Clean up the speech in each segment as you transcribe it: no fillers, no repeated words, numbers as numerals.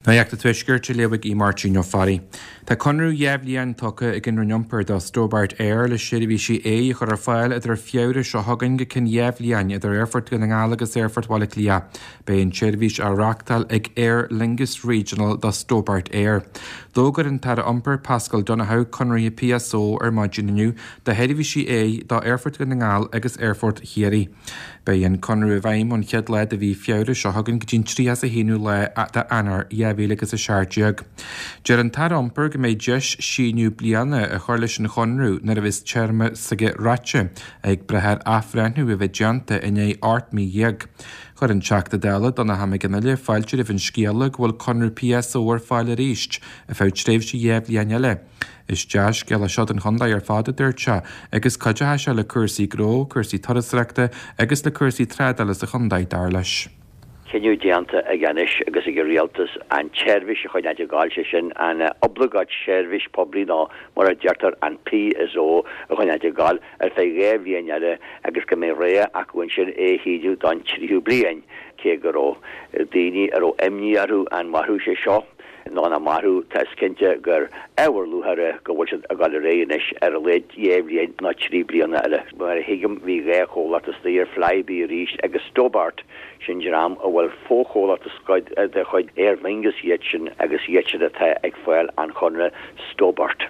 Nuacht an Tuaiscirt á léamh ag Máirtín Ó Fearraigh. Tá conradh 2 bhliain tugtha ag an Roinn Iompair do Stobart Air le seirbhísí aeir a chur ar fáil idir Feabhra seo chugainn go cionn 2 bhliain idir Aerfort Dhún na nGall agus Aerfort Bhaile Átha Cliath. Beidh an tseirbhís á reáchtáil ag Aer Lingus Regional do Stobart Air. D'fhógair an tAire Iompair Paschal Donohoe conarthaí PSO ar maidin inniu do sheirbhísí aeir do Aerfort Dhún na nGall agus Aerfort Chiarraí. Beidh an conradh i bhfeidhm ón chéad lá de mhí Feabhra seo chugainn go dtí an 31ú lá d'Eanáir 2017. Deir an tAire Iompair go mbeidh deis síneadh bliana a chur leis an chonradh nuair a bheas téarma s'aige ráite, ag brath ar athbhreithniú a bheith déanta i ndiaidh 18 mí. Chuir an Teachta Dála Donnchadh Mac Fhionnghaile fáilte roimh an scéala go bhfuil conradh PSO ar fáil arís ar feadh tréimhse 2 bhliain eile. Is dea-scéal é seo don chontae ar fad, a dúirt sé, agus cuideoidh sé le cúrsaí gnó, cúrsaí turasóireachta agus le cúrsaí trádála sa chontae, dar leis. Cinneadh déanta aige anois agus ag an Rialtas an tseirbhís a choinneáilt ag gabháil, sé sin an oibleagáid seirbhís poiblí nó mar a deirtear an PSO a choinneáilt ag gabháil ar feadh 2 bhliain eile agus go mbeidh rogha acu ansin é a shíneadh don tríú bliain. Cé go raibh daoine a raibh imní orthu an mairfeadh sé seo, nó nach mairfeadh, tá is cinnte gur ábhar lúcháire go bhfuil siad ag dul ar aghaidh anois ar a laghad 2 bhliain nó 3 bliana eile. Mar a thuigim bhí 2 chomhlacht istigh ar Flybe arís agus Stobart, sin dream a bhfuil fochomhlacht de chuid Aer Lingus iad sin agus iad sin atá ag fáil an chonradh Stobart.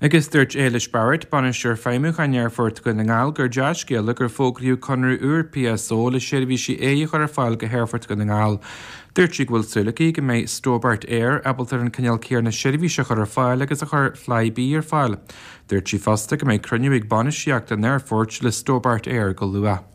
Agus dúirt Éilis Barrett, Bainisteoir Feidhmiúcháin Aerfort Dhún na nGall, gur dea-scéala gur fógraíodh conradh úr PSO le seirbhísí aeir a chur ar fáil go hAerfort Dhún na nGall. Dúirt sí go bhfuil súil aici go mbeidh Stobart Air ábalta ar an cineál céanna seirbhíse a chur ar fáil agus a chuir Flybe ar fáil. Dúirt sí fosta go mbeidh cruinniú ag bainistíocht an aerfoirt le Stobart Air go luath.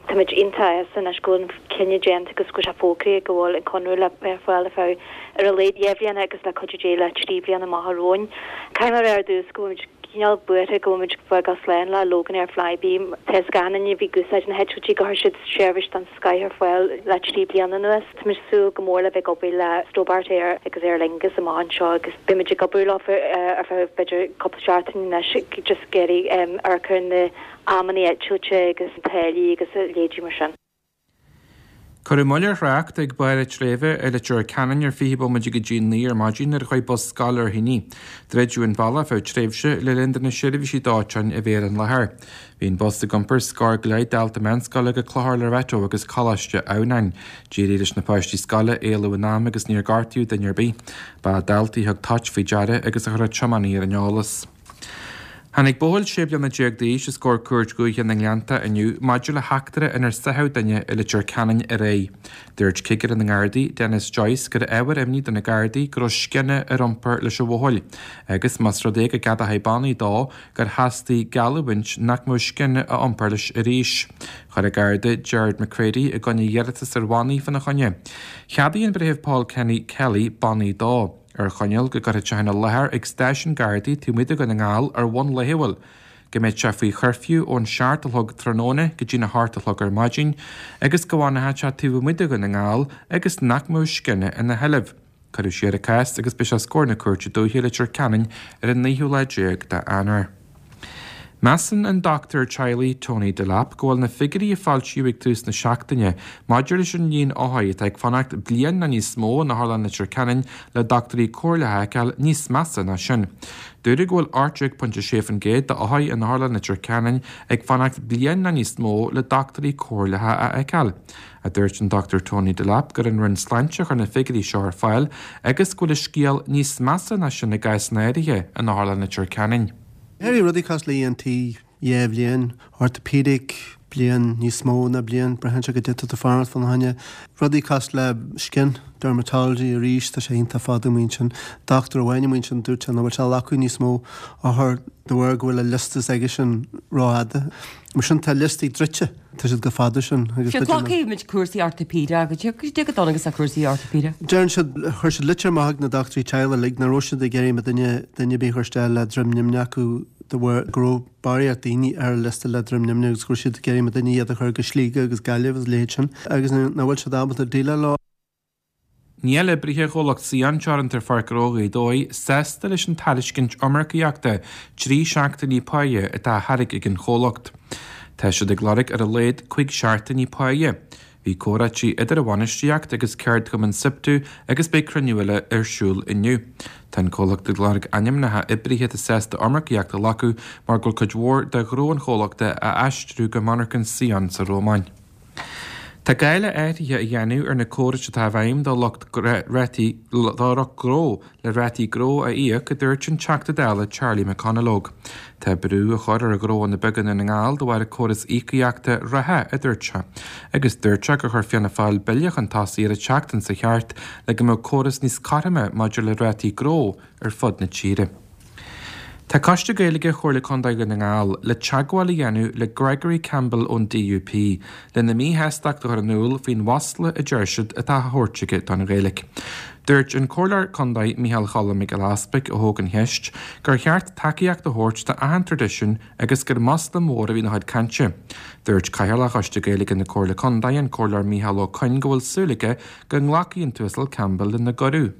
Táimid iontach sásta anois go bhfuil an cinneadh déanta agus go bhfuil sé fógraithe go bhfuil an conradh le bheith ar fáil ar feadh ar a laghad 2 bhliana agus le cuidiú Dé le 3 bliana amach romhainn. Caithfidh mé a rá ar dtús go bhfuilimid cineál buartha go bhfuilimid ag fágáil slán le Loganair Flybe. Tá a fhios ag achan duine a bhí ag úsáid na heitiltí gur chuir siad seirbhís den scoith ar fáil le 3 bliana anuas. Táimid ag súil go mór le bheith ag obair le Stobart Air agus Aer Lingus amach anseo agus beimid ag obair leo ar feadh b'fhéidir cúpla seachtain anois just ag iarraidh amharc ar na amanna eitilte agus táillí agus a leithéidí mar sin. Cuireadh moill ar thrácht ag Barr an tSléibhe i Leitir Ceanainn ar 20 bomaite go dtí 9 ar maidin nuair a chuaigh bus scoile ar thine. Druideadh an bealach ar feadh tréimhse le linn do na seirbhísí dóiteáin a bheith ar an láthair. Bhí an bus ag iompar scór go leith dalta meánscoile go Clochar Loreto agus Coláiste Adhamhnáin. D'éirigh leis na páistí scoile éalú in am agus níor gortaíodh duine ar bith. Ba daltaí a thug toit faoi deara agus a chuir an tiománaí ar an eolas. Tháinig buachaill 16 bliana d'aois os comhair Cúirt Dhúiche na nGleannta inniu maidir le heachtra inar sáitheadh duine i Leitir Ceanainn aréir. Dúirt Cigire na nGardaí, Denis Joyce, gur ábhar imní do na Gardaí go raibh scian ar iompar leis an bhuachaill agus, más rud é go gceadófaí bannaí dó, gur theastaigh geallúint nach mbeadh scian á iompar leis arís. Chuir an Garda Gerard McCready i gcoinne iarratas ar bhannaí fána choinne. Cheadaigh an Breitheamh Paul Kenny Kelly bannaí dó. ar choinníoll go gcuirfeadh sé ina láthair ag stáisiún Gardaí taobh amuigh de Dhún na nGall ar bhonn laethúil, go mbeadh sé faoi chuirfiú ón 7 a chlog tráthnóna go dtí'n 8 a chlog ar maidin agus go bhfanfadh sé taobh amuigh de Dhún na nGall agus nach mbeadh scian ina sheilbh. Cuireadh siar an cás agus beidh sé os comhair na Cúirte Dúiche i Leitir Ceanainn ar an naoú lá déag d'Eanáir. Measann an dochtúir teaghlaigh Tony Delap go bhfuil na figiúirí a foilsíodh ag tús na seachtaine maidir leis an líon othair atá ag fanacht bliain nó níos mó in Otharlann Leitir Ceanainn le dochtúirí comhairleacha a fheiceáil níos measa ná sin. Dúradh go bhfuil 18.6% d'othair in Otharlann Leitir Ceanainn ag fanacht bliain nó níos mó le dochtúirí comhairleacha a fheiceáil. A dúirt an Dr Tony Delap gur an Roinn Sláinte a chuir na figiúirí seo ar fáil agus go bhfuil an scéal níos measa ná sin i gcásanna áirithe in Otharlann Leitir Ceanainn. Ar rudaí cosúil le ENT, 2 bhliain, orthopedic, bliain, níos mó ná bliain, braitheann sé goidé atá tú fanacht fána choinne. Rudaí cosúil le skin, dermatology arís, tá sé iontach fada amuigh ansin. Dochtúir amháin amuigh ansin dúirt sé nach bhfuil sé ag glacadh níos mó othar de bharr go bhfuil an liosta s'aigesean rófhada. Mar sin tá liostaí druidte. Tá siad chomh fada sin agus Sure, glacfaidh muid cúrsaí orthopaedeach, goidé chomh dona agus cúrsaí orthopaedeach. Deireann siad, chuir siad litir amach ag na dochtúirí teaghlaigh uilig nach raibh siad ag iarraidh duine, duine ar bith a chur isteach le droim nimhneach acu de bharr go raibh barraíocht daoine ar an liosta le droim nimhneach agus go raibh siad ag iarraidh daoine iad a chur go Sligeach agus Gaillimh agus a leithéid sin agus nach bhfuil siad ábalta déileáil leo. Níl oibrithe chomhlacht Saon Teoranta ar Pháirc Ghnó Ghaoth Dobhair sásta leis an tairiscint iomarcaíochta 3 seachtainí páighe atá á thairg ag an chomhlacht. Tá siad ag lorg ar a laghad 5 seachtainí páighe. Bhí comhráití idir a bhainistíocht agus ceardchumann Siptu agus beidh cruinniú eile ar siúl inniu. Tá an comhlacht ag lorg ainmneacha oibrithe atá sásta iomarcaíocht a ghlacadh mar go bhfuil cuid mhór de ghnó an chomhlachta á aistriú go monarchan Sion sa Rómáin. Tá gá le athruithe a dhéanamh ar na córais atá i bhfeidhm do lucht rátaí do lucht gnó le rátaí gnó a íoc, a dúirt an Teachta Dála Charlie McConalogue. Tá brú á chur ar ghnóanna beaga i nDún na nGall de bharr an córas íocaíochta reatha, a dúirt sé. Agus dúirt sé gur chuir Fianna Fáil bille chun tosaigh ar an tseachtain seo thart le go mbeadh córas níos cothroime maidir le rátaí gnó ar fud na tíre. Tá Coiste Gaeilge Chomhairle Contae Dhún na nGall le teagmháil a dhéanamh le Gregory Campbell ón DUP lena míshástacht a chur in iúl faoin mhasla a deir siad atá á thabhairt aige don Ghaeilge. Dúirt an Comhairleoir Contae Micheál Choilm Mac Giolla Easpaig, a thóg an cheist, gur cheart tacaíocht a thabhairt do achan traidisiún agus gur masla mór a bhí ina chuid cainte. Dúirt Cathaoirleach Choiste Gaeilge na Comhairle Contae, an Comhairleoir Micheál Ó Coinn go bhfuil súil aige go nglacfaidh an tUasal Campbell lena gcuireadh.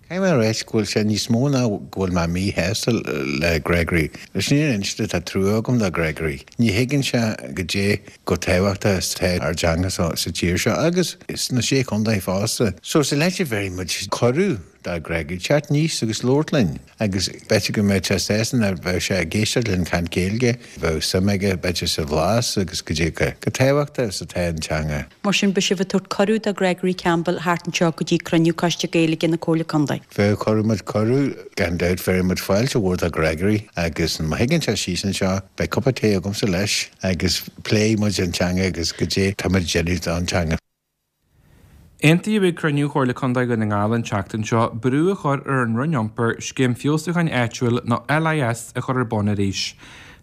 Caithfidh mé a ráit go bhfuil sé níos mó ná go bhfuil mé míshásta le Gregory. Leis an fhírinne a inste tá trua agam do Gregory. Ní thuigeann sé goidé chomh tábhachtach is atá ár dteanga sa tír seo agus sna Sé Chontae fosta. So sa leite bhéarfaidh muid cuireadh do Gregory teacht aníos agus labhairt linn agus b'fhéidir go mbeadh sé sásta nuair a bheadh sé ag éisteacht linn caint Gaeilge, bheadh suim aige b'fhéidir sa bhlas agus goidé chomh tábhachtach is atá an teanga. Mar sin, beidh sibh ag tabhairt cuireadh do Gregory Campbell theacht anseo go dtí cruinniú Coiste Gaeilge na Comhairle Contae. Bheadh, cuirfidh muid cuireadh, gan dabht, bhéarfaidh muid fáilte mhór do Gregory agus má thigeann sé síos anseo, beidh cupa tae agamsa leis agus pléifidh muid an teanga agus goidé tá muid ag déanamh don teanga. Aontaíodh ag cruinniú Chomhairle Contae Dhún na nGall an tseachtain seo brú a chur ar an Roinn Iompair Scéim Feabhsúcháin Áitiúil nó LIS a chur ar bun arís.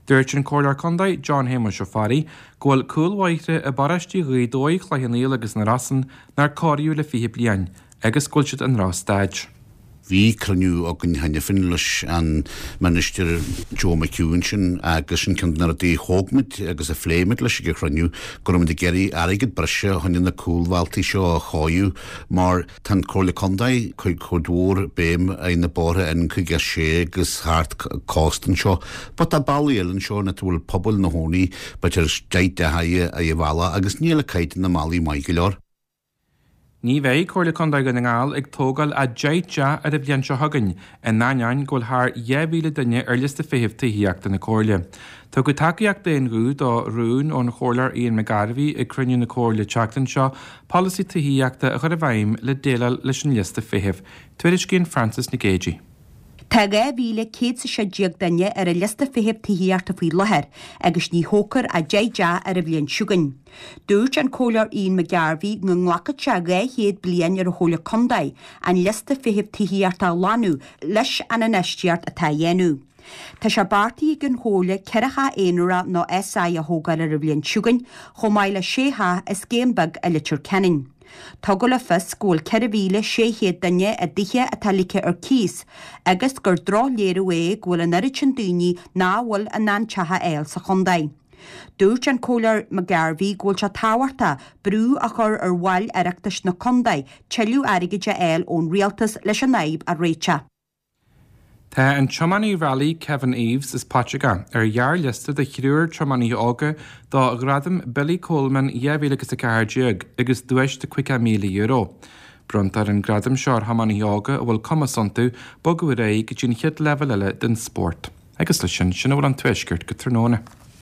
Dúirt an Comhairleoir Contae John Shéamuis Ó Fearraigh go bhfuil cúlbhóithre i bparóistí Ghaoth Dobhair, Chloich Cheann Fhaola agus na Rosann nár cóiríodh le 20 bliain agus go bhfuil siad i ndrochstaid. Bhí cruinniú againn cheana féin leis an Minister Joe McHugh ansin agus sin ceann de na rudaí a thóg muid agus a phléigh muid leis ag an chruinniú, go raibh muid ag iarraidh airgead breise a choinne na cúlbhealtaí seo a chóiriú mar tá an Comhairle Contae ag cur cuid mhór béim ar na bóithre N56 agus thart cósta anseo but tá bealaí eile anseo ina bhfuil pobail ina gcónaí b'fhéidir 10 dteach ar an bhealach agus níl caighdeán na mbealaí maith go leor. Ní bheidh Comhairle Contae Dhún na nGall ag tógáil ach 10 dteach ar an bhliain seo chugainn, in ainneoin go bhfuil thar 2,000 duine ar liosta feithimh tithíochta na Comhairle. Tugadh tacaíocht d'aon ghuth do rún ón Chomhairleoir Ian McGarvey ag cruinniú na Comhairle tseachtain seo polasaí tithíochta a chur i bhfeidhm le déileáil leis an liosta feithimh. Tuairiscíonn Frances Nic Géadaigh. Tá 2,116 duine ar an liosta feithimh tithíochta faoi láthair agus ní thógfar ach 10 dteach ar an bhliain seo chugainn. Dúirt an Comhairleoir Ian McGarvey go nglacfadh sé 200 bliain ar an Chomhairle Contae an liosta feithimh tithíochta a lánú leis an infheistíocht atá á dhéanamh. Tá sé beartaithe ag an Chomhairle 4 theach aonarach nó SI a thógáil ar an bhliain seo chugainn chomh maith le 6 theach i scéim beag i Leitir Ceanainn. Tugadh le fios go bhfuil 4,600 duine i dtithe atá ligthe ar cíos agus gur drochléiriú é go bhfuil an oiread sin daoine nach bhfuil in ann teach a fháil sa chontae. Dúirt an Comhairleoir McGarvey go bhfuil sé tábhachtach brú a chur ar bhaill Oireachtais na contae tuilleadh airgid a fháil ón rialtas leis an fhadhb a réiteach. Tá an tiománaí railí Kevin Eaves as Paiteagó ar ghearrliosta de thriúr tiománaithe óga do Ghradam Billy Coleman 2014 agus duais de €50,000. Bronntar an gradam seo ar thiománaithe óga a bhfuil cumas iontu bogadh ar aghaidh go dtí an chéad leibhéal eile den spórt. Agus leis sin, sin a bhfuil ón Tuaisceart go tráthnóna.